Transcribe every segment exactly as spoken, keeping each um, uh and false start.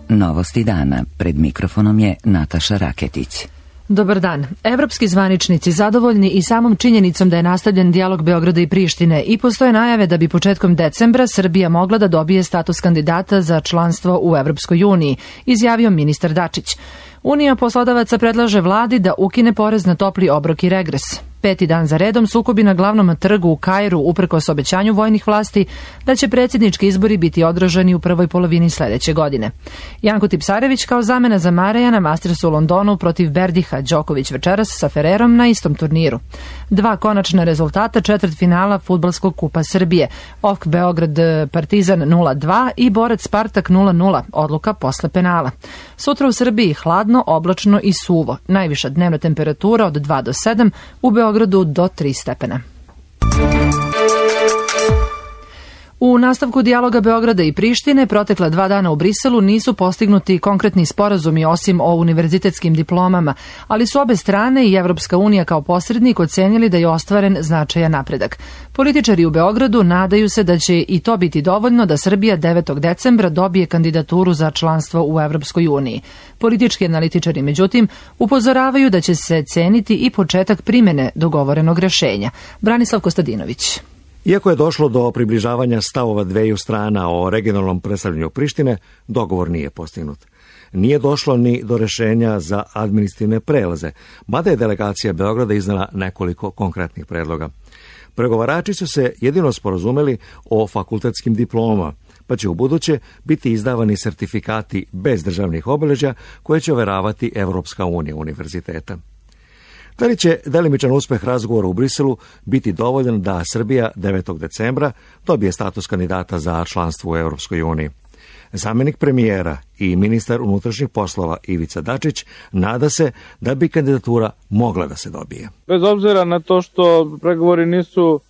Novosti dana. Pred mikrofonom je Nataša Raketić. Dobar dan. Evropski zvaničnici zadovoljni i samom činjenicom da je nastavljen dijalog Beograda i Prištine i postoje najave da bi početkom decembra Srbija mogla da dobije status kandidata za članstvo u Evropskoj uniji, izjavio ministar Dačić. Unija poslodavaca predlaže vladi da ukine porez na topli obrok i regres. Peti dan za redom sukobi na glavnom trgu u Kairu uprkos obećanju vojnih vlasti da će predsjednički izbori biti održani u prvoj polovini sledeće godine. Janko Tipsarević kao zamena za Mareja na Mastersu u Londonu protiv Berdiha, Đoković večeras sa Fererom na istom turniru. Dva konačna rezultata četvrtfinala Fudbalskog kupa Srbije. O F K Beograd Partizan nula dva i Borac Spartak nula nula, odluka posle penala. Sutra u Srbiji hladno, oblačno i suvo. Najviša dnevna temperatura od dva do sedam, u Beogradu do tri stepena. U nastavku dijaloga Beograda i Prištine protekla dva dana u Briselu nisu postignuti konkretni sporazumi osim o univerzitetskim diplomama, ali su obe strane i Evropska unija kao posrednik ocenili da je ostvaren značajan napredak. Političari u Beogradu nadaju se da će i to biti dovoljno da Srbija devetog decembra dobije kandidaturu za članstvo u Evropskoj uniji. Politički analitičari, međutim, upozoravaju da će se ceniti i početak primene dogovorenog rešenja. Branislav Kostadinović. Iako je došlo do približavanja stavova dveju strana o regionalnom predstavljanju Prištine, dogovor nije postignut. Nije došlo ni do rešenja za administrativne prelaze, mada je delegacija Beograda iznala nekoliko konkretnih predloga. Pregovarači su se jedino sporazumeli o fakultetskim diplomama, pa će u buduće biti izdavani sertifikati bez državnih obeležja koje će overavati Evropska unija univerziteta. Da li će delimičan uspeh razgovora u Briselu biti dovoljan da Srbija devetog decembra dobije status kandidata za članstvo u Evropskoj uniji? Zamjenik premijera i ministar unutrašnjih poslova Ivica Dačić nada se da bi kandidatura mogla da se dobije. Bez obzira na to što pregovori nisu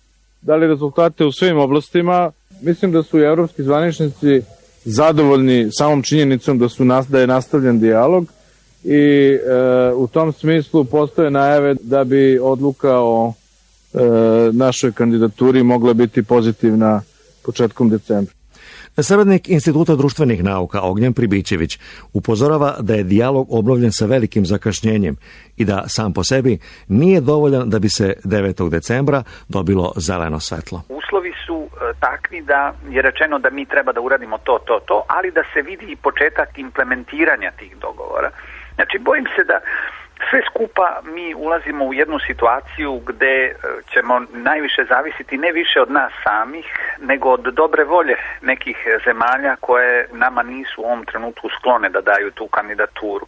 dali rezultate u svim oblastima, mislim da su i evropski zvaničnici zadovoljni samom činjenicom da, su, da je nastavljen dijalog. I e, u tom smislu postoje najave da bi odluka o e, našoj kandidaturi mogla biti pozitivna početkom decembra. Saradnik Instituta društvenih nauka Ognjen Pribićević upozorava da je dijalog obnovljen sa velikim zakašnjenjem i da sam po sebi nije dovoljan da bi se devetog decembra dobilo zeleno svetlo. Uslovi su takvi da je rečeno da mi treba da uradimo to, to, to, ali da se vidi i početak implementiranja tih dogovora. Znači, bojim se da sve skupa mi ulazimo u jednu situaciju gde ćemo najviše zavisiti ne više od nas samih, nego od dobre volje nekih zemalja koje nama nisu u ovom trenutku sklone da daju tu kandidaturu.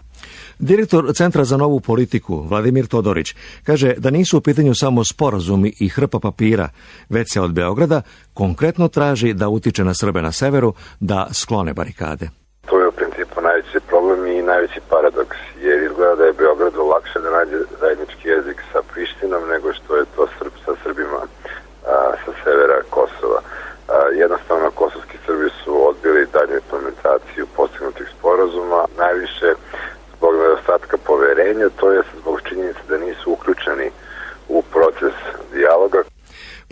Direktor Centra za novu politiku, Vladimir Todorić, kaže da nisu u pitanju samo sporazumi i hrpa papira, već se od Beograda konkretno traži da utiče na Srbe na severu da sklone barikade. To je u principu najveći problem i najveći paradoks, jer izgleda da je Beogradu lakše da nađe zajednički jezik sa Prištinom nego što je to Srb, sa Srbima a, sa severa Kosova. A, jednostavno, kosovski Srbi su odbili dalju implementaciju postignutih sporazuma, najviše zbog nedostatka poverenja, to je zbog činjenice da nisu uključeni u proces dijaloga.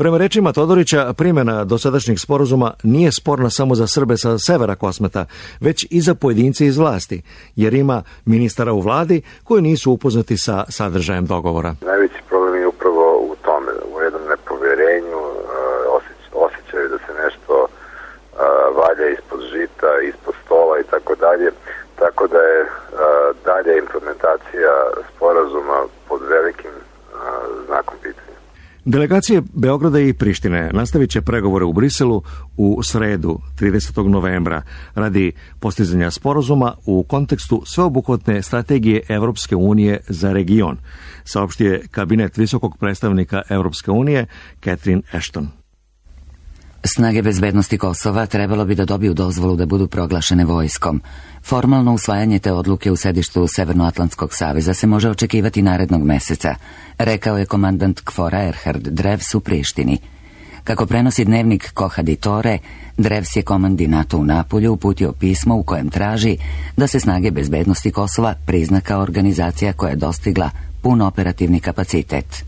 Prema rečima Todorića, primjena dosadašnjih sporazuma nije sporna samo za Srbe sa severa Kosmeta, već i za pojedince iz vlasti, jer ima ministara u vladi koji nisu upoznati sa sadržajem dogovora. Najveći problem je upravo u tome, u jednom nepoverenju, osjećaju da se nešto valja ispod žita, ispod stola i tako dalje, tako da je dalje implementacija sporazuma pod velikim znakom pitanja. Delegacije Beograda i Prištine nastavit će pregovore u Briselu u sredu tridesetog novembra radi postizanja sporazuma u kontekstu sveobuhvatne strategije Evropske unije za region, saopštio je kabinet visokog predstavnika Evropske unije Catherine Ashton. Snage bezbednosti Kosova trebalo bi da dobiju dozvolu da budu proglašene vojskom. Formalno usvajanje te odluke u sedištu Severnoatlantskog saveza se može očekivati narednog meseca, rekao je komandant Kfora Erhard Drevs u Prištini. Kako prenosi dnevnik Kohadi Tore, Drevs je komandi NATO u Napulju uputio pismo u kojem traži da se snage bezbednosti Kosova prizna kao organizacija koja je dostigla pun operativni kapacitet.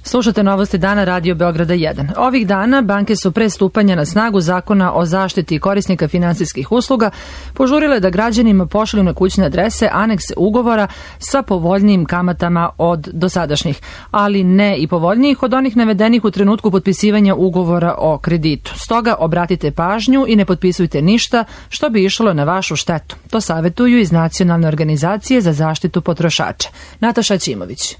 Slušate novosti dana Radio Beograda jedan. Ovih dana banke su pre stupanja na snagu zakona o zaštiti korisnika finansijskih usluga požurile da građanima pošalju na kućne adrese anekse ugovora sa povoljnijim kamatama od dosadašnjih, ali ne i povoljnijih od onih navedenih u trenutku potpisivanja ugovora o kreditu. Stoga obratite pažnju i ne potpisujte ništa što bi išlo na vašu štetu. To savetuju iz Nacionalne organizacije za zaštitu potrošača. Nataša Ćimović.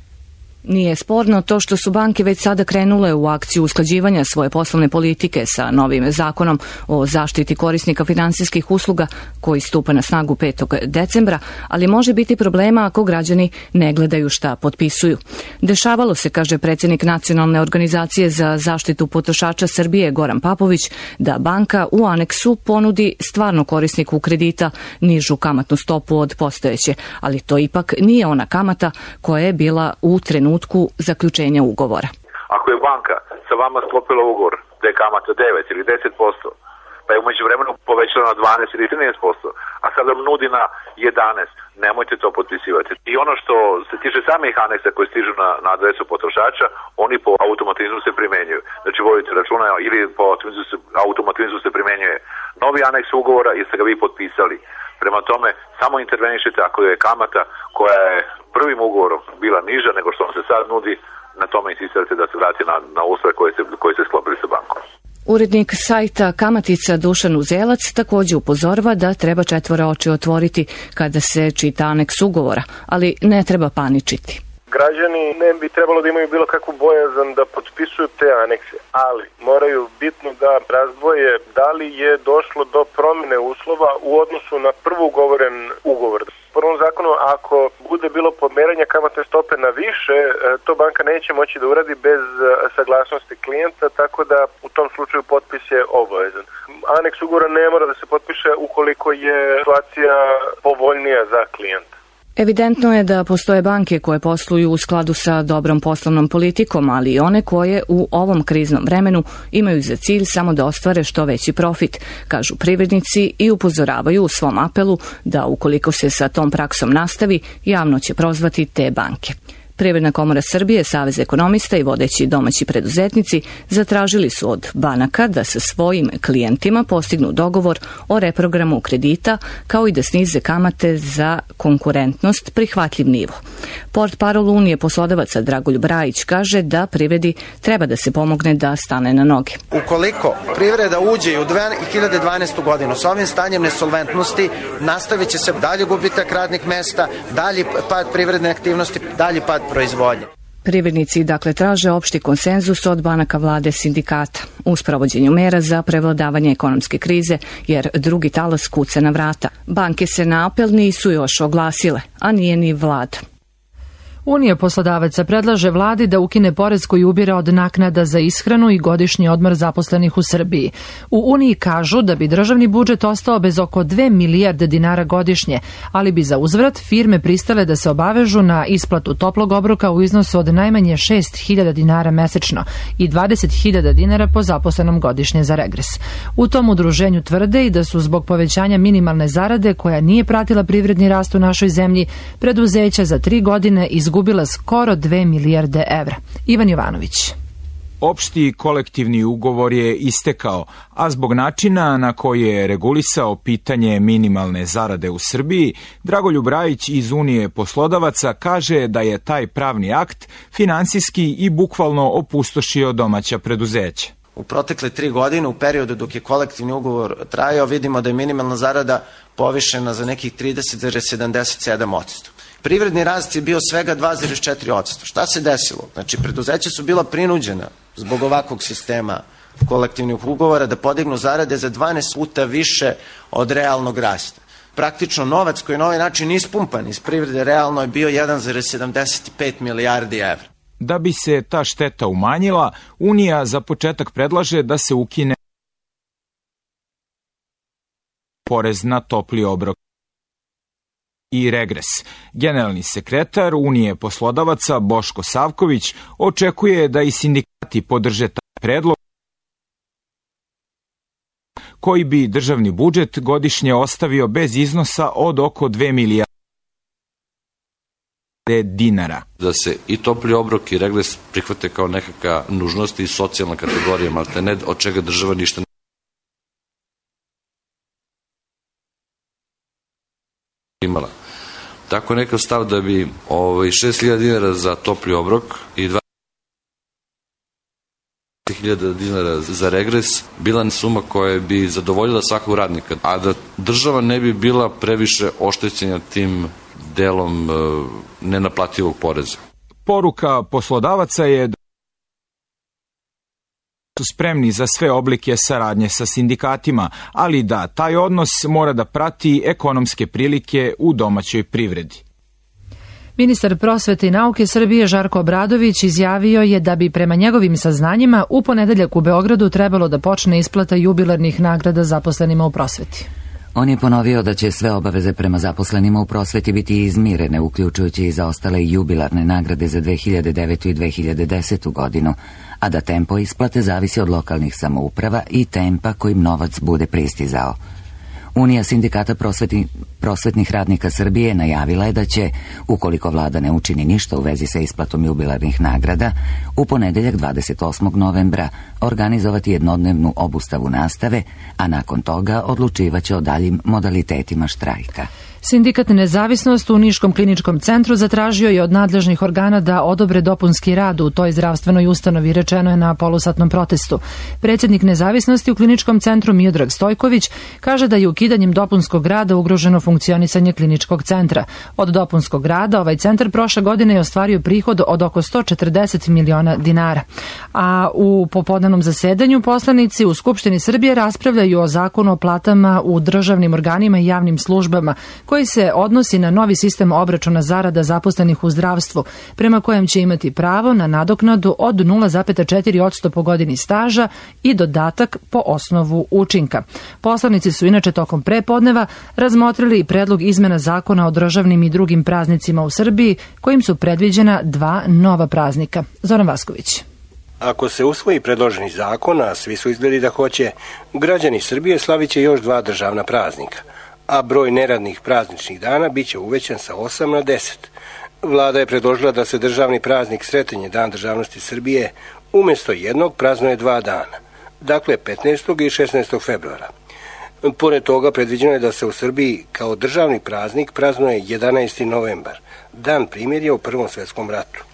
Nije sporno to što su banke već sada krenule u akciju usklađivanja svoje poslovne politike sa novim zakonom o zaštiti korisnika finansijskih usluga koji stupa na snagu petog decembra, ali može biti problema ako građani ne gledaju šta potpisuju. Dešavalo se, kaže predsjednik Nacionalne organizacije za zaštitu potrošača Srbije Goran Papović, da banka u aneksu ponudi stvarno korisniku kredita nižu kamatnu stopu od postojeće, ali to ipak nije ona kamata koja je bila u trenutku zaključenja ugovora. Ako je banka sa vama sklopila ugovor da je kamata devet ili deset posto, pa je umeđu vremenu povećala na dvanaest ili trinaest posto, a sada vam nudi na jedanaest, nemojte to potpisivati. I ono što se tiče samih aneksa koji stižu na, na adresu potrošača, oni po automatizmu se primenjuju. Znači vodite računa ili po automatizmu se primenjuje novi aneks ugovora jer ste ga vi potpisali. Prema tome, samo intervenišite ako je kamata koja je prvim ugovorom bila niža nego što vam se sad nudi, na tome insistirate da se vrati na, na uslove koje se, koje se sklopili sa bankom. Urednik sajta Kamatica Dušan Uzelac također upozorava da treba četvora oči otvoriti kada se čita aneks ugovora, ali ne treba paničiti. Građani ne bi trebalo da imaju bilo kakvu bojazan da potpisuju te anekse, ali moraju bitno da razdvoje da li je došlo do promjene uslova u odnosu na prvo ugovoren ugovor. U prvom zakonu, ako bude bilo pomeranja kamatne stope na više, to banka neće moći da uradi bez saglasnosti klijenta, tako da u tom slučaju potpis je obavezan. Aneks ugovora ne mora da se potpiše ukoliko je situacija povoljnija za klijenta. Evidentno je da postoje banke koje posluju u skladu sa dobrom poslovnom politikom, ali i one koje u ovom kriznom vremenu imaju za cilj samo da ostvare što veći profit, kažu privrednici i upozoravaju u svom apelu da ukoliko se sa tom praksom nastavi, javno će prozvati te banke. Privredna komora Srbije, Savez ekonomista i vodeći domaći preduzetnici zatražili su od banaka da sa svojim klijentima postignu dogovor o reprogramu kredita, kao i da snize kamate za konkurentnost prihvatljiv nivo. Portparol Unije poslodavaca Dragoljub Brajić kaže da privredi treba da se pomogne da stane na noge. Ukoliko privreda uđe u dve hiljade dvanaestu godinu s ovim stanjem nesolventnosti, nastavit će se dalje gubitak radnih mesta, dalji pad privredne aktivnosti, dalji pad proizvodnje. Privrednici dakle traže opšti konsenzus od banaka, vlade, sindikata u sprovođenju mera za prevladavanje ekonomske krize, jer drugi talas kuca na vrata. Banke se na apel nisu još oglasile, a nije ni vlada. Unija poslodavaca predlaže vladi da ukine porez koji ubira od naknada za ishranu i godišnji odmor zaposlenih u Srbiji. U Uniji kažu da bi državni budžet ostao bez oko dve milijarde dinara godišnje, ali bi za uzvrat firme pristale da se obavežu na isplatu toplog obroka u iznosu od najmanje šest hiljada dinara mesečno i dvadeset hiljada dinara po zaposlenom godišnje za regres. U tom udruženju tvrde i da su zbog povećanja minimalne zarade, koja nije pratila privredni rast u našoj zemlji, preduzeća za tri godine izgubila skoro dve milijarde evra. Ivan Jovanović. Opšti kolektivni ugovor je istekao, a zbog načina na koji je regulisao pitanje minimalne zarade u Srbiji, Dragoljub Brajić iz Unije poslodavaca kaže da je taj pravni akt finansijski i bukvalno opustošio domaća preduzeća. U protekle tri godine, u periodu dok je kolektivni ugovor trajao, vidimo da je minimalna zarada povišena za nekih trideset zarez sedamdeset sedam posto. Privredni rast je bio svega dva zarez četiri posto. Šta se desilo? Znači, preduzeća su bila prinuđena zbog ovakvog sistema kolektivnih ugovora da podignu zarade za dvanaest puta više od realnog rasta. Praktično novac koji je na ovaj način ispumpan iz privrede realno je bio jedan zarez sedamdeset pet milijardi evra. Da bi se ta šteta umanjila, Unija za početak predlaže da se ukine porez na topli obrok i regres. Generalni sekretar Unije poslodavaca Boško Savković očekuje da i sindikati podrže taj predlog koji bi državni budžet godišnje ostavio bez iznosa od oko dve milijarde dinara. Da se i topli obrok i regres prihvate kao nekakva nužnost i socijalna kategorija, malte ne, od čega država ništa ne imala. Tako nekav stav da bi ovaj, šest hiljada dinara za topli obrok i dvadeset hiljada dinara za regres bila suma koja bi zadovoljila svakog radnika, a da država ne bi bila previše oštećena tim delom e, nenaplativog poreza. Poruka poslodavaca je da su spremni za sve oblike saradnje sa sindikatima, ali da taj odnos mora da prati ekonomske prilike u domaćoj privredi. Ministar prosvete i nauke Srbije Žarko Obradović izjavio je da bi prema njegovim saznanjima u ponedeljak u Beogradu trebalo da počne isplata jubilarnih nagrada zaposlenima u prosveti. On je ponovio da će sve obaveze prema zaposlenima u prosveti biti izmirene, uključujući i zaostale jubilarne nagrade za dve hiljade devetu i dve hiljade desetu godinu, a da tempo isplate zavisi od lokalnih samouprava i tempa kojim novac bude pristizao. Unija sindikata prosvetni, prosvetnih radnika Srbije najavila je da će, ukoliko vlada ne učini ništa u vezi sa isplatom jubilarnih nagrada, u ponedeljak dvadeset osmog novembra organizovati jednodnevnu obustavu nastave, a nakon toga odlučivaće o daljim modalitetima štrajka. Sindikat Nezavisnost u Niškom kliničkom centru zatražio je od nadležnih organa da odobre dopunski rad u toj zdravstvenoj ustanovi, rečeno je na polusatnom protestu. Predsjednik Nezavisnosti u kliničkom centru Miodrag Stojković kaže da je ukidanjem dopunskog rada ugroženo funkcionisanje kliničkog centra. Od dopunskog rada ovaj centar prošle godine je ostvario prihod od oko sto četrdeset miliona dinara. A u popodnevnom zasedanju poslanici u Skupštini Srbije raspravljaju o zakonu o platama u državnim organima i javnim službama, koji se odnosi na novi sistem obračuna zarada zaposlenih u zdravstvu, prema kojem će imati pravo na nadoknadu od nula zarez četiri posto po godini staža i dodatak po osnovu učinka. Poslanici su inače tokom prepodneva razmotrili i predlog izmena zakona o državnim i drugim praznicima u Srbiji, kojim su predviđena dva nova praznika. Zoran Vasković. Ako se usvoji predloženi zakon, a svi su izgledi da hoće, građani Srbije slavit će još dva državna praznika, a broj neradnih prazničnih dana biće uvećan sa osam na deset. Vlada je predložila da se državni praznik Sretenje, Dan državnosti Srbije, umjesto jednog praznuje dva dana, dakle petnaestog i šesnaestog februara. Pored toga predviđeno je da se u Srbiji kao državni praznik praznuje jedanaesti novembar, Dan primirja u Prvom svjetskom ratu.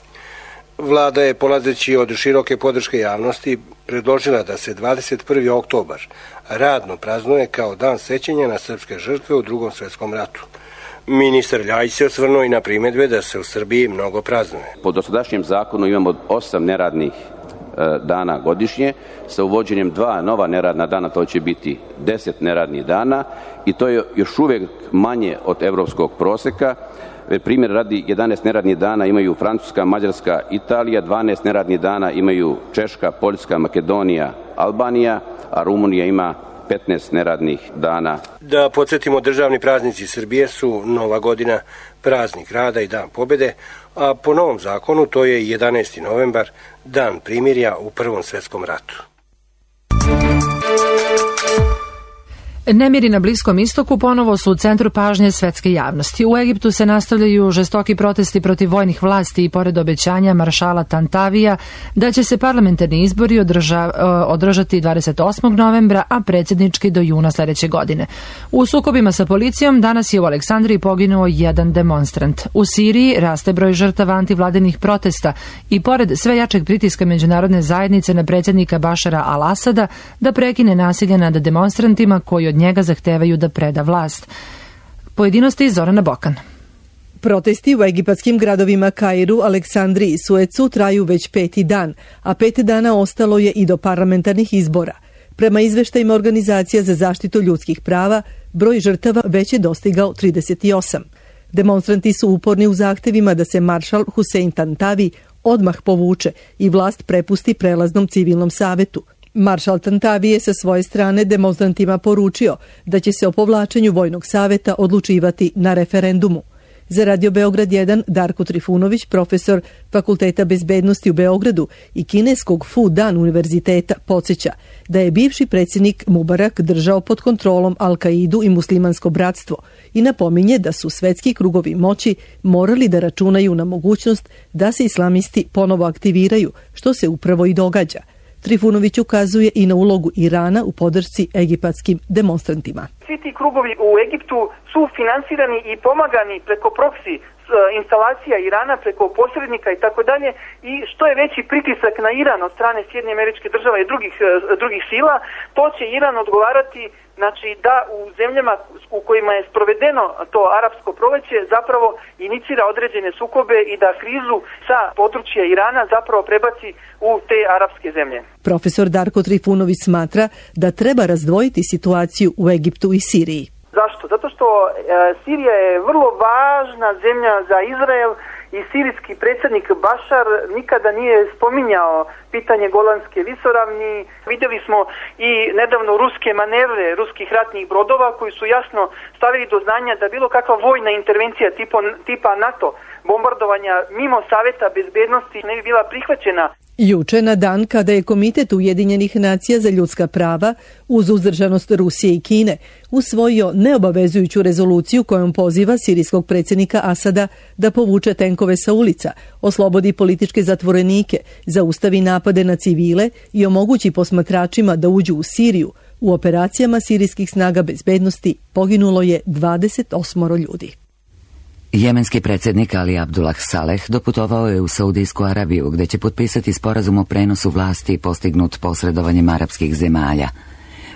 Vlada je, polazeći od široke podrške javnosti, predložila da se dvadeset prvi oktobar radno praznuje kao Dan sećanja na srpske žrtve u Drugom svjetskom ratu. Ministar Ljajić se osvrnuo i na primjedbe da se u Srbiji mnogo praznuje. Po dosadašnjem zakonu imamo osam neradnih e, dana godišnje, sa uvođenjem dva nova neradna dana, to će biti deset neradnih dana i to je još uvijek manje od evropskog proseka. Primjer radi, jedanaest neradnih dana imaju Francuska, Mađarska, Italija, dvanaest neradnih dana imaju Češka, Poljska, Makedonija, Albanija, a Rumunija ima petnaest neradnih dana. Da podsjetimo, državni praznici Srbije su Nova godina, praznik rada i Dan pobjede, a po novom zakonu to je jedanaesti novembar, Dan primirja u Prvom svjetskom ratu. Nemiri na Bliskom istoku ponovo su u centru pažnje svetske javnosti. U Egiptu se nastavljaju žestoki protesti protiv vojnih vlasti i pored obećanja maršala Tantavija da će se parlamentarni izbori održa, održati dvadeset osmog novembra, a predsjednički do juna sljedeće godine. U sukobima sa policijom danas je u Aleksandriji poginuo jedan demonstrant. U Siriji raste broj žrtava antivladinih protesta i pored sve jačeg pritiska međunarodne zajednice na predsjednika Bašara al-Asada da prekine nasilje nad demonstrantima koji od njega zahtevaju da preda vlast. Pojedinosti Zorana Bokan. Protesti u egipatskim gradovima Kairu, Aleksandriji i Suecu traju već peti dan, a pet dana ostalo je i do parlamentarnih izbora. Prema izveštajima Organizacija za zaštitu ljudskih prava, broj žrtava već je dostigao trideset osam. Demonstranti su uporni u zahtevima da se maršal Husein Tantavi odmah povuče i vlast prepusti prelaznom civilnom savetu. Maršal Tantavi je sa svoje strane demonstrantima poručio da će se o povlačenju vojnog saveta odlučivati na referendumu. Za Radio Beograd jedan Darko Trifunović, profesor Fakulteta bezbednosti u Beogradu i kineskog Fudan univerziteta, podsjeća da je bivši predsjednik Mubarak držao pod kontrolom Al-Kaidu i muslimansko bratstvo i napominje da su svetski krugovi moći morali da računaju na mogućnost da se islamisti ponovo aktiviraju, što se upravo i događa. Trifunović ukazuje i na ulogu Irana u podršci egipatskim demonstrantima. Svi ti krugovi u Egiptu su finansirani i pomagani preko proksi instalacija Irana, preko posrednika i tako dalje, i što je veći pritisak na Iran od strane Sjedinjenih Američkih Država i drugih, drugih sila, to će Iran odgovarati, znači da u zemljama u kojima je sprovedeno to arapsko proleće zapravo inicira određene sukobe i da krizu sa područja Irana zapravo prebaci u te arapske zemlje. Profesor Darko Trifunović smatra da treba razdvojiti situaciju u Egiptu i Siriji. Zašto? Zato što e, Sirija je vrlo važna zemlja za Izrael i sirijski predsjednik Bašar nikada nije spominjao pitanje Golanske visoravni. Vidjeli smo i nedavno ruske manevre ruskih ratnih brodova koji su jasno stavili do znanja da bilo kakva vojna intervencija tipa, tipa NATO bombardovanja mimo Saveta bezbednosti ne bi bila prihvaćena. Juče, na dan kada je Komitet Ujedinjenih nacija za ljudska prava, uz uzdržanost Rusije i Kine, usvojio neobavezujuću rezoluciju kojom poziva sirijskog predsjednika Asada da povuče tenkove sa ulica, oslobodi političke zatvorenike, zaustavi napade na civile i omogući posmatračima da uđu u Siriju, u operacijama sirijskih snaga bezbednosti poginulo je dvadeset osam ljudi. Jemenski predsjednik Ali Abdullah Saleh doputovao je u Saudijsku Arabiju, gdje će potpisati sporazum o prenosu vlasti postignut posredovanjem arapskih zemalja.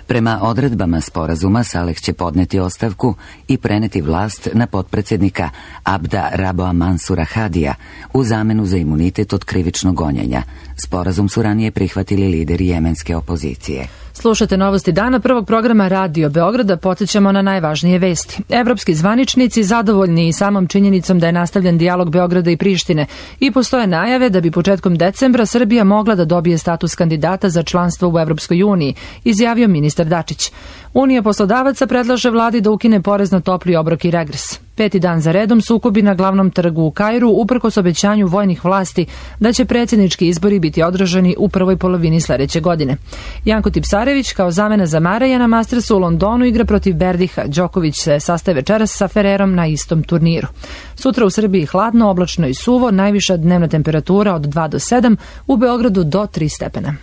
Prema odredbama sporazuma Saleh će podneti ostavku i preneti vlast na potpredsjednika Abda Raboa Mansura Hadija u zamenu za imunitet od krivičnog gonjenja. Sporazum su ranije prihvatili lideri jemenske opozicije. Slušate novosti dana prvog programa Radio Beograda, podsjećamo na najvažnije vesti. Evropski zvaničnici zadovoljni i samom činjenicom da je nastavljen dijalog Beograda i Prištine i postoje najave da bi početkom decembra Srbija mogla da dobije status kandidata za članstvo u Evropskoj uniji, izjavio ministar Dačić. Unija poslodavaca predlaže vladi da ukine porez na topli obrok i regres. Peti dan za redom sukobi na glavnom trgu u Kairu uprkos obećanju vojnih vlasti da će predsjednički izbori biti održani u prvoj polovini sljedeće godine. Janko Tipsarević kao zamena za Maraja na Mastersu u Londonu igra protiv Berdiha. Đoković se sastaje večeras sa Ferrerom na istom turniru. Sutra u Srbiji hladno, oblačno i suvo, najviša dnevna temperatura od dva do sedam, u Beogradu do tri stepena.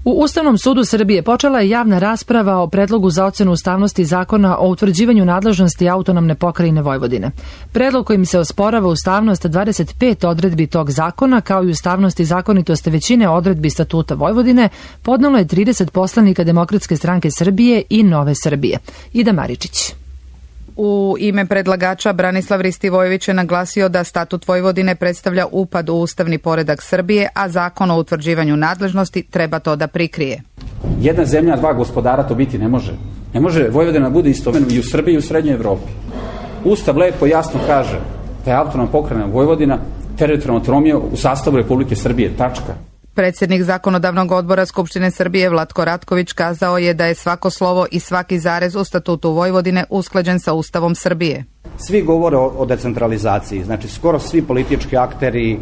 U Ustavnom sudu Srbije počela je javna rasprava o predlogu za ocenu ustavnosti zakona o utvrđivanju nadležnosti autonomne pokrajine Vojvodine. Predlog kojim se osporava ustavnost dvadeset pet odredbi tog zakona, kao i ustavnost i zakonitost većine odredbi Statuta Vojvodine, podnelo je trideset poslanika Demokratske stranke Srbije i Nove Srbije. Ida Maričić. U ime predlagača Branislav Ristivojević je naglasio da Statut Vojvodine predstavlja upad u ustavni poredak Srbije, a zakon o utvrđivanju nadležnosti treba to da prikrije. Jedna zemlja, dva gospodara to biti ne može. Ne može Vojvodina bude istovremeno i u Srbiji i u Srednjoj Evropi. Ustav lepo jasno kaže da je autonomna pokrajina Vojvodina teritorijalna autonomija u sastavu Republike Srbije, tačka. Predsjednik Zakonodavnog odbora Skupštine Srbije Vlatko Ratković kazao je da je svako slovo i svaki zarez u Statutu Vojvodine usklađen sa Ustavom Srbije. Svi govore o, o decentralizaciji, znači skoro svi politički akteri,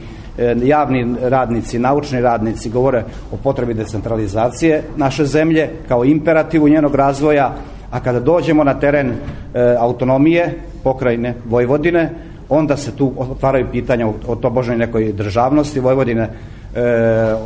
javni radnici, naučni radnici govore o potrebi decentralizacije naše zemlje kao imperativu njenog razvoja, a kada dođemo na teren e, autonomije pokrajine Vojvodine, onda se tu otvaraju pitanja o, o tobožnoj nekoj državnosti Vojvodine,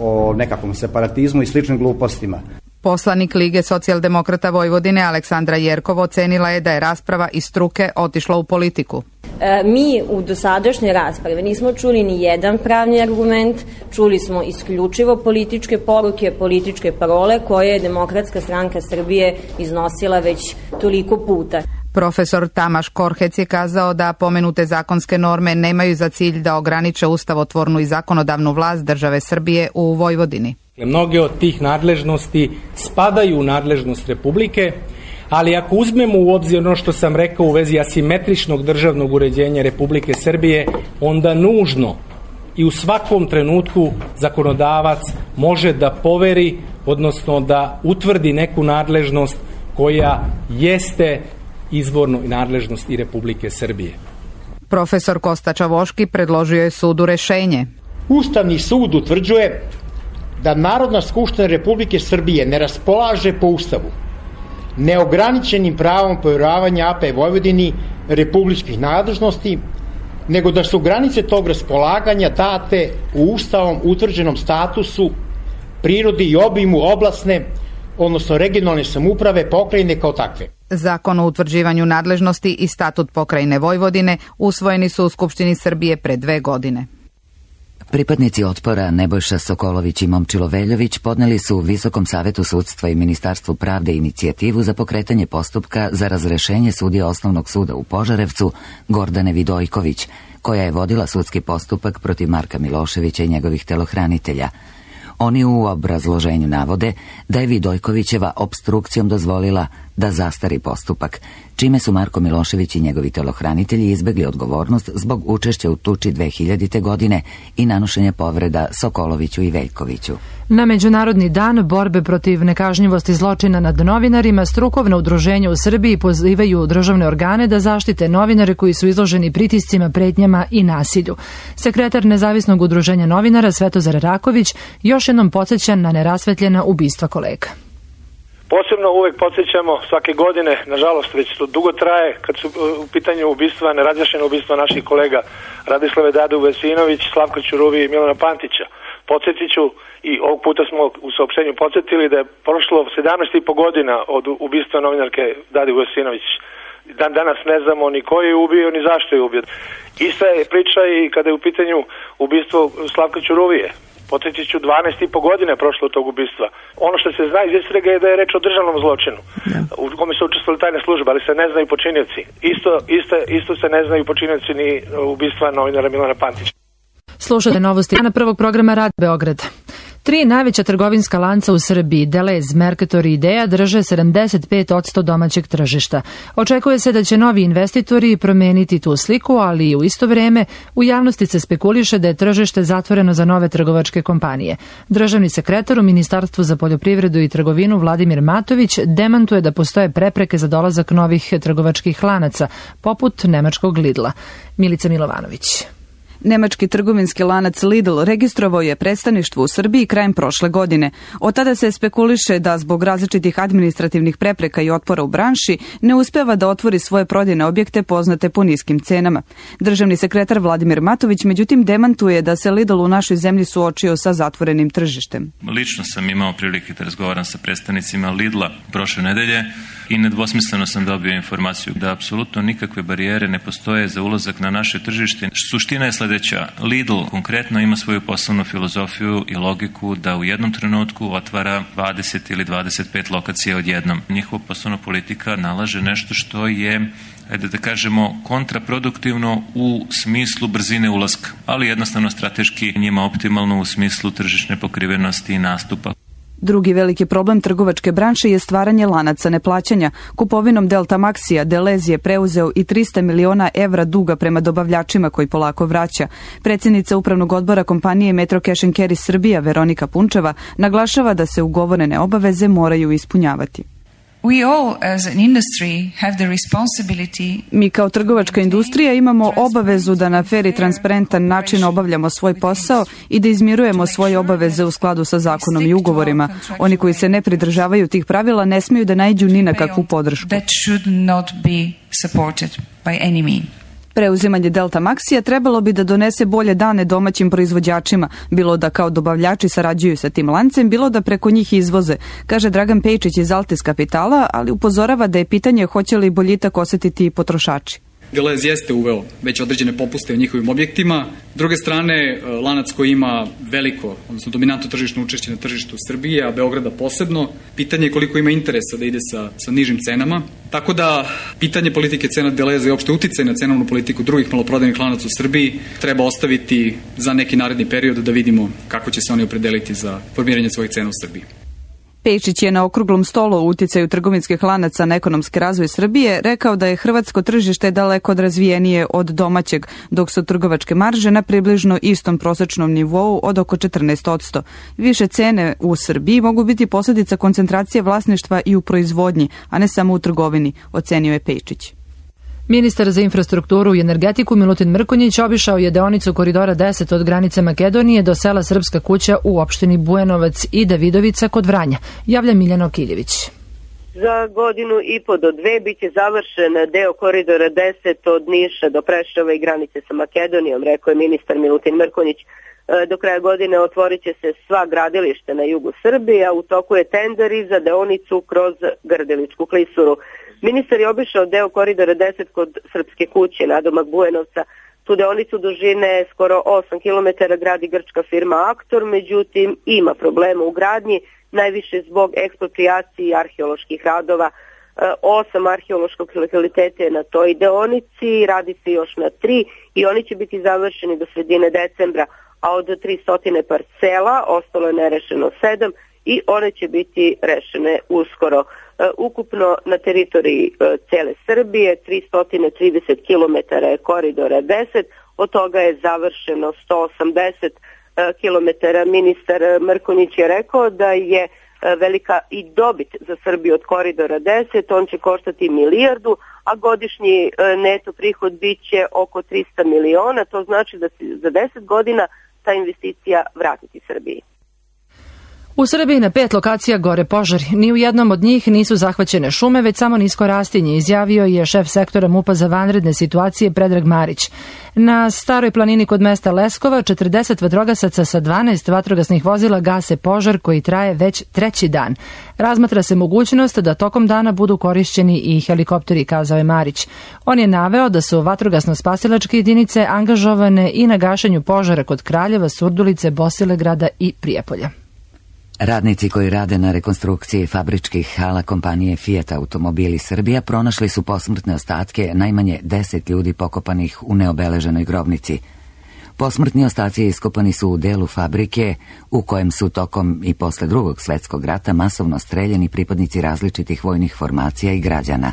o nekakvom separatizmu i sličnim glupostima. Poslanik Lige socijaldemokrata Vojvodine Aleksandra Jerkov ocenila je da je rasprava iz struke otišla u politiku. E, mi u dosadašnjoj raspravi nismo čuli ni jedan pravni argument, čuli smo isključivo političke poruke, političke parole koje je Demokratska stranka Srbije iznosila već toliko puta. Profesor Tamaš Korhec je kazao da pomenute zakonske norme nemaju za cilj da ograniče ustavotvornu i zakonodavnu vlast države Srbije u Vojvodini. Mnoge od tih nadležnosti spadaju u nadležnost Republike, ali ako uzmemo u obzir ono što sam rekao u vezi asimetričnog državnog uređenja Republike Srbije, onda nužno i u svakom trenutku zakonodavac može da poveri, odnosno da utvrdi neku nadležnost koja jeste izvorno nadležnost i Republike Srbije. Profesor Kosta Čavoški predložio je sudu rešenje. Ustavni sud utvrđuje da Narodna skupština Republike Srbije ne raspolaže po Ustavu neograničenim pravom povjeravanja A P Vojvodini republičkih nadležnosti, nego da su granice tog raspolaganja date u Ustavom utvrđenom statusu, prirodi i obimu oblasne, odnosno regionalne samouprave pokrajine kao takve. Zakon o utvrđivanju nadležnosti i statut pokrajine Vojvodine usvojeni su u Skupštini Srbije pre dve godine. Pripadnici otpora Nebojša Sokolović i Momčilo Veljović podneli su Visokom savetu sudstva i Ministarstvu pravde inicijativu za pokretanje postupka za razrešenje sudije Osnovnog suda u Požarevcu Gordane Vidojković, koja je vodila sudski postupak protiv Marka Miloševića i njegovih telohranitelja. Oni u obrazloženju navode da je Vidojkovićeva opstrukcijom dozvolila da zastari postupak, čime su Marko Milošević i njegovi telohranitelji izbegli odgovornost zbog učešća u tuči dve hiljadite. godine i nanošenja povreda Sokoloviću i Veljkoviću. Na Međunarodni dan borbe protiv nekažnjivosti zločina nad novinarima, strukovna udruženja u Srbiji pozivaju državne organe da zaštite novinare koji su izloženi pritiscima, pretnjama i nasilju. Sekretar Nezavisnog udruženja novinara Svetozar Raković još jednom podsjeća na nerasvetljena ubistva kolega. Posebno uvek podsjećamo svake godine, nažalost već to dugo traje, kad su u pitanju ubistva, nerazjašnjena ubistva naših kolega Radislave Dadu Vesinović, Slavka Ćuruvi i Milana Pantića. Podsjetit ću, i ovog puta smo u saopštenju podsjetili da je prošlo sedamnaest i po godina od ubistva novinarke Dade Vesinović. Dan danas ne znamo ni ko je ubio, ni zašto je ubio. Ista je priča i kada je u pitanju ubistvo Slavka Ćuruvije. Podsjetit ću, dvanaest i po godine prošlo od tog ubistva. Ono što se zna iz istrage je da je reč o državnom zločinu, u kome su učestvovali tajne službe, ali se ne znaju počinioci. Isto, isto, isto se ne znaju počinioci ni ubistva novinara Milana Pantića. Slušajte novosti na prvog programa Rad Beograd. Tri najveća trgovinska lanca u Srbiji, Delez, Mercator i Idea, drže sedamdeset pet posto domaćeg tržišta. Očekuje se da će novi investitori promeniti tu sliku, ali u isto vreme u javnosti se spekuliše da je tržište zatvoreno za nove trgovačke kompanije. Državni sekretar u Ministarstvu za poljoprivredu i trgovinu Vladimir Matović demantuje da postoje prepreke za dolazak novih trgovačkih lanaca, poput nemačkog Lidla. Milica Milovanović. Nemački trgovinski lanac Lidl registrovao je predstavništvo u Srbiji krajem prošle godine. Od tada se spekuliše da zbog različitih administrativnih prepreka i otpora u branši ne uspeva da otvori svoje prodajne objekte poznate po niskim cenama. Državni sekretar Vladimir Matović međutim demantuje da se Lidl u našoj zemlji suočio sa zatvorenim tržištem. Lično sam imao prilike da razgovaram sa predstavnicima Lidla prošle nedelje i nedvosmisleno sam dobio informaciju da apsolutno nikakve barijere ne postoje za ulazak na naše tržište. Suština je sledeća. Lidl konkretno ima svoju poslovnu filozofiju i logiku da u jednom trenutku otvara dvadeset ili dvadeset pet lokacija odjednom. Njihova poslovna politika nalaže nešto što je, ajde da kažemo, kontraproduktivno u smislu brzine ulaska, ali jednostavno strateški njima optimalno u smislu tržišne pokrivenosti i nastupa. Drugi veliki problem trgovačke branše je stvaranje lanaca neplaćanja. Kupovinom Delta Maxija Delez je preuzeo i trista miliona evra duga prema dobavljačima koji polako vraća. Predsjednica upravnog odbora kompanije Metro Cash and Carry Srbija Veronika Punčeva naglašava da se ugovorene obaveze moraju ispunjavati. We all, as an industry, have the responsibility... Mi kao trgovačka industrija imamo obavezu da na fer i transparentan način obavljamo svoj posao i da izmirujemo svoje obaveze u skladu sa zakonom i ugovorima. Oni koji se ne pridržavaju tih pravila ne smiju da naiđu ni na kakvu podršku. That should not be supported by any means. Preuzimanje Delta Maxija trebalo bi da donese bolje dane domaćim proizvođačima, bilo da kao dobavljači sarađuju sa tim lancem, bilo da preko njih izvoze, kaže Dragan Pejčić iz Altis Kapitala, ali upozorava da je pitanje hoće li boljitak osetiti i potrošači. Delez jeste uveo već određene popuste u njihovim objektima. S druge strane, lanac koji ima veliko, odnosno dominantno tržišno učešće na tržištu Srbije, a Beograda posebno, pitanje je koliko ima interesa da ide sa, sa nižim cenama. Tako da, pitanje politike cena Deleza i opšte uticaj na cenovnu politiku drugih maloprodajnih lanaca u Srbiji treba ostaviti za neki naredni period da vidimo kako će se oni opredeliti za formiranje svojih cena u Srbiji. Pejičić je na okruglom stolu o uticaju trgovinskih lanaca na ekonomski razvoj Srbije rekao da je hrvatsko tržište daleko razvijenije od domaćeg, dok su trgovačke marže na približno istom prosečnom nivou od oko četrnaest posto. Više cene u Srbiji mogu biti posljedica koncentracije vlasništva i u proizvodnji, a ne samo u trgovini, ocenio je Pejičić. Ministar za infrastrukturu i energetiku Milutin Mrkonjić obišao je deonicu Koridora deset od granice Makedonije do sela Srpska kuća u opštini Bujanovac i Davidovica kod Vranja. Javlja Miljana Okiljević. Za godinu i po do dve biće završen deo Koridora deset od Niša do Preševa i granice sa Makedonijom, rekao je ministar Milutin Mrkonjić. Do kraja godine otvorit će se sva gradilišta na jugu Srbije, a u toku je tender i za deonicu kroz Grdeličku klisuru. Ministar je obišao deo Koridora deset kod Srpske kuće, nadomak Bujanovca. Tu deonicu dužine skoro osam kilometara gradi grčka firma Aktor, međutim ima problema u gradnji, najviše zbog eksproprijacije i arheoloških radova. Osam arheološkog lokaliteta je na toj deonici, radi se još na tri i oni će biti završeni do sredine decembra, a od tristo parcela ostalo je nerešeno sedam i one će biti rešene uskoro. Ukupno na teritoriji cele Srbije tristo trideset kilometara je Koridora deset, od toga je završeno sto osamdeset kilometara. Ministar Mrkonjić je rekao da je velika i dobit za Srbiju od Koridora deset, on će koštati milijardu, a godišnji neto prihod bit će oko trista miliona, to znači da se za deset godina ta investicija vratiti Srbiji. U Srbiji na pet lokacija gore požari. Ni u jednom od njih nisu zahvaćene šume, već samo nisko rastinje, izjavio je šef sektora MUP-a za vanredne situacije Predrag Marić. Na Staroj planini kod mesta Leskova četrdeset vatrogasaca sa dvanaest vatrogasnih vozila gase požar koji traje već treći dan. Razmatra se mogućnost da tokom dana budu korišćeni i helikopteri, kazao je Marić. On je naveo da su vatrogasno-spasilačke jedinice angažovane i na gašenju požara kod Kraljeva, Surdulice, Bosilegrada i Prijepolja. Radnici koji rade na rekonstrukciji fabričkih hala kompanije Fiat Automobili Srbija pronašli su posmrtne ostatke najmanje deset ljudi pokopanih u neobeleženoj grobnici. Posmrtni ostaci iskopani su u delu fabrike u kojem su tokom i posle drugog svetskog rata masovno streljeni pripadnici različitih vojnih formacija i građana.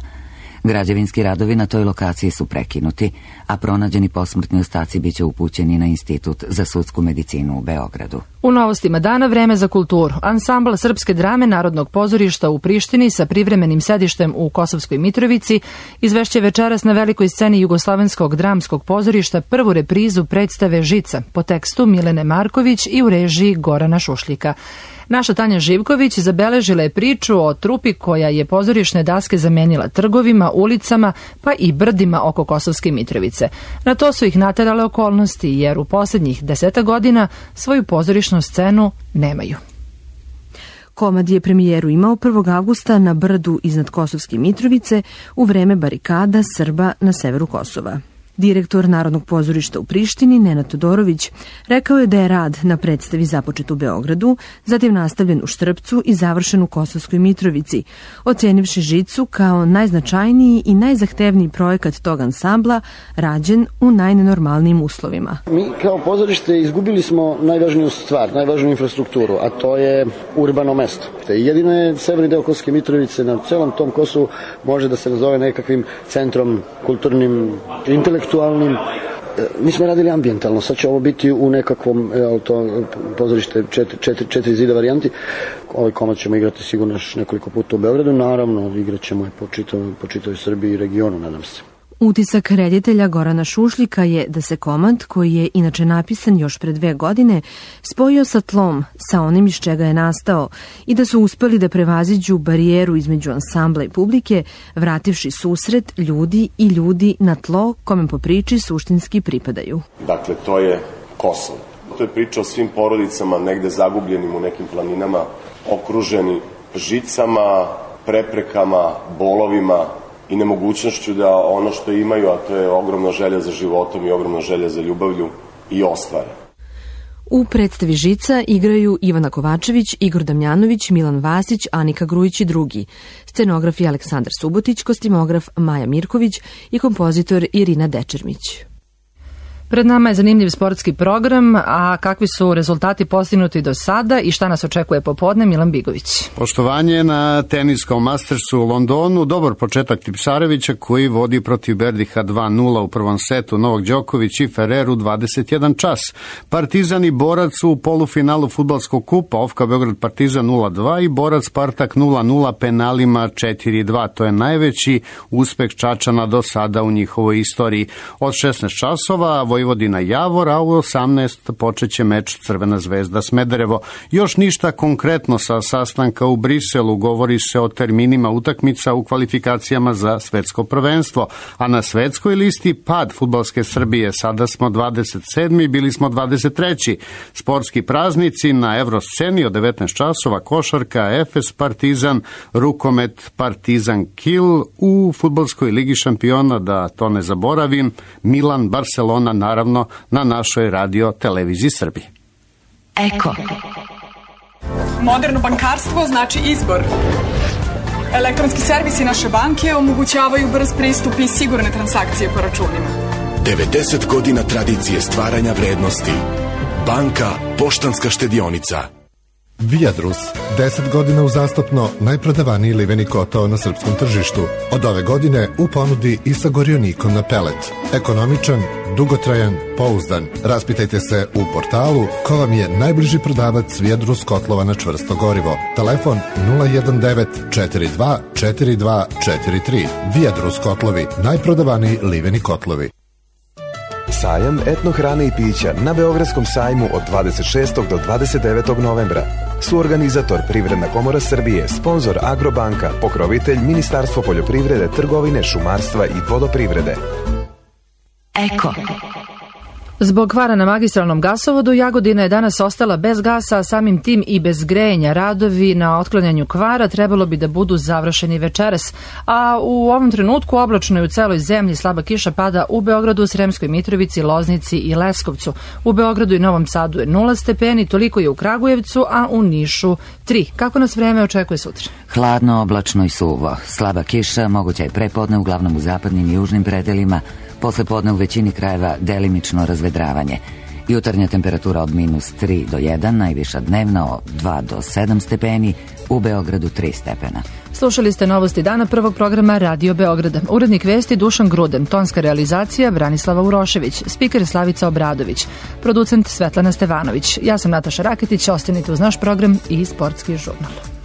Građevinski radovi na toj lokaciji su prekinuti, a pronađeni posmrtni ostaci biće upućeni na Institut za sudsku medicinu u Beogradu. U novostima dana vreme za kulturu. Ansambl srpske drame Narodnog pozorišta u Prištini sa privremenim sedištem u Kosovskoj Mitrovici izvešće večeras na velikoj sceni Jugoslovenskog dramskog pozorišta prvu reprizu predstave Žica po tekstu Milene Marković i u režiji Gorana Šušljika. Naša Tanja Živković zabeležila je priču o trupi koja je pozorišne daske zamenila trgovima, ulicama pa i brdima oko Kosovske Mitrovice. Na to su ih naterale okolnosti jer u posljednjih deseta godina svoju pozorišnu scenu nemaju. Komad je premijeru imao prvog avgusta na brdu iznad Kosovske Mitrovice u vreme barikada Srba na severu Kosova. Direktor Narodnog pozorišta u Prištini, Nenad Todorović, rekao je da je rad na predstavi započet u Beogradu, zatim nastavljen u Štrpcu i završen u Kosovskoj Mitrovici, ocenivši Žicu kao najznačajniji i najzahtevniji projekat tog ansambla, rađen u najnenormalnijim uslovima. Mi kao pozorište izgubili smo najvažniju stvar, najvažniju infrastrukturu, a to je urbano mesto. Jedino je severni deo Kosovske Mitrovice na celom tom Kosovu može da se nazove nekakvim centrom kulturnim, intelektualnim. Mi smo radili ambijentalno, sad će ovo biti u nekakvom to, pozorište četiri, četiri, četiri zida varijanti. Ovaj komad ćemo igrati sigurno još nekoliko puta u Beogradu, naravno igrat ćemo je po čitavoj, po čitavoj Srbiji i regionu, nadam se. Utisak reditelja Gorana Šušljika je da se komad, koji je inače napisan još pre dve godine, spojio sa tlom, sa onim iz čega je nastao i da su uspeli da prevaziđu barijeru između ansambla i publike, vrativši susret ljudi i ljudi na tlo kome po priči suštinski pripadaju. Dakle, to je Kosovo. To je priča o svim porodicama negde zagubljenim u nekim planinama, okruženi žicama, preprekama, bolovima i nemogućnošću da ono što imaju, a to je ogromna želja za životom i ogromna želja za ljubavlju, i ostvare. U predstavi Žica igraju Ivana Kovačević, Igor Damjanović, Milan Vasić, Anika Grujić i drugi. Scenograf je Aleksandar Subotić, kostimograf Maja Mirković i kompozitor Irina Dečermić. Pred nama je zanimljiv sportski program, a kakvi su rezultati postignuti do sada i šta nas očekuje popodne, Milan Bigović. Poštovanje na teniskom Mastersu u Londonu, dobar početak Tipsarevića koji vodi protiv Berdiha dva nula u prvom setu, Novak Đoković i Ferrer u dvadeset jedan čas. Partizan i Borac u polufinalu fudbalskog kupa, Ofka Beograd Partizan nula dva i Borac Spartak nula nula penalima četiri dva. To je najveći uspeh Čačana do sada u njihovoj istoriji. Od šesnaest časova Vojvodina Javor, a u osamnaest počeće meč Crvena zvezda Smederevo. Još ništa konkretno sa sastanka u Briselu, govori se o terminima utakmica u kvalifikacijama za svetsko prvenstvo, a na svetskoj listi pad fudbalske Srbije. Sada smo dvadeset sedmi, bili smo dvadeset treći. Sportski praznici na Evrosceni od devetnaest časova, košarka, Efes Partizan, rukomet Partizan Kiel, u fudbalskoj ligi šampiona, da to ne zaboravim, Milan Barcelona, naravno na našoj radio televiziji Srbije. Eko. Moderno bankarstvo znači izbor. Elektronski servisi naše banke omogućavaju brz pristup i sigurne transakcije po računima. devedeset godina tradicije stvaranja vrednosti. Banka Poštanska štedionica. Viadrus, deset godina uzastopno najprodavaniji liveni kotao na srpskom tržištu. Od ove godine u ponudi i sa gorionikom na pelet. Ekonomičan, dugotrajan, pouzdan. Raspitajte se u portalu ko vam je najbliži prodavac Viadrus kotlova na čvrsto gorivo. Telefon nula jedan devet četiri dva četiri dva četiri tri. Viadrus kotlovi, najprodavaniji liveni kotlovi. Sajam etno hrane i pića na Beogradskom sajmu od dvadeset šestog do dvadeset devetog novembra. Suorganizator Privredna komora Srbije, sponzor Agrobanka, pokrovitelj Ministarstvo poljoprivrede, trgovine, šumarstva i vodoprivrede. Eko. Zbog kvara na magistralnom gasovodu, Jagodina je danas ostala bez gasa, a samim tim i bez grejanja. Radovi na otklanjanju kvara trebalo bi da budu završeni večeras, a u ovom trenutku oblačno je u celoj zemlji, slaba kiša pada u Beogradu, Sremskoj Mitrovici, Loznici i Leskovcu. U Beogradu i Novom Sadu je nula stepeni, toliko je u Kragujevcu, a u Nišu tri. Kako nas vreme očekuje sutra? Hladno, oblačno i suvo. Slaba kiša, moguća je prepodne, uglavnom u zapadnim i južnim predelima. Posle podne u većini krajeva delimično razvedravanje. Jutarnja temperatura od minus tri do jedan, najviša dnevna od dva do sedam stepeni, u Beogradu tri stepena. Slušali ste novosti dana prvog programa Radio Beograda. Urednik vesti Dušan Gruden, tonska realizacija Branislava Urošević, spiker Slavica Obradović, producent Svetlana Stevanović. Ja sam Nataša Raketić, ostanite uz naš program i sportski žurnal.